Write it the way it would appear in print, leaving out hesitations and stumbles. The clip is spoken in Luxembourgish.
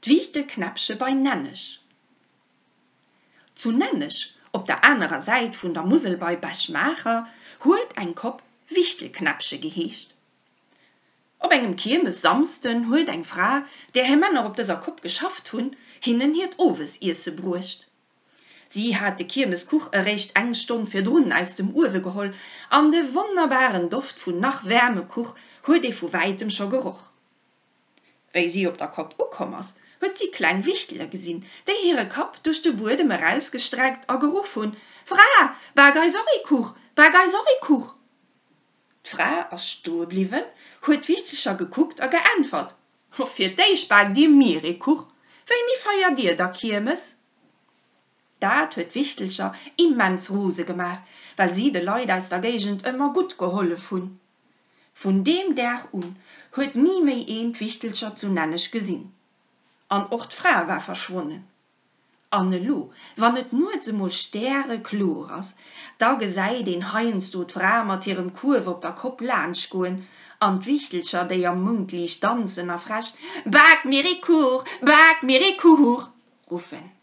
D'Wiichtelknäppche bei Nenneg. Zu Nenneg, op der anerer Säit vun der Musel bei Bech-Maacher, huet eng Kopp Wichtelknäppche geheescht. Op engem Kiermessamsden huet eng Fra, där hir Männer op dëser Kopp geschafft hunn, hinnen hiert Owesiesse bruecht. Si hat de Kiermeskuch eréischt eng Stonn virdrun aus dem Uewe geholl an de wonnerbaren Doft vun nach waarme Kuch huet ee vu wäitem scho geroch. Wéi si op der Kopp ukomm ass, huet si kleng Wichtele gesinn, déi hire Kapp duerch de Buedem erausgestreckt a geruff hunn, Fra, bak eis och ee Kuch, bak eis och ee Kuch! D'Fra ass stoe bliwwen, huet d'Wichtelcher gekuckt a geäntwert, Fir d'éischt baakt dir mir ee Kuch, wéini feiert dir da Kiermes? Dat huet d'Wichtelcher immens rose gemaach, well si de Leit aus der Géigend ëmmer gutt gehollef hunn. Vun deem Dag un huet ni méi een d'Wichtelcher zu Nenneg gesinn. An och d'Fra war verschwonnen. An elo, wann et nuets emol stärekloer ass, da gesäit een heiansdo d'Fra mat hirem Kuerf op der Kopp laanschtgoen an d'Wichtelcher, déi am Moundliicht danzen a frech Bak mir ee Kuch, bak mir ee Kuch! ruffen.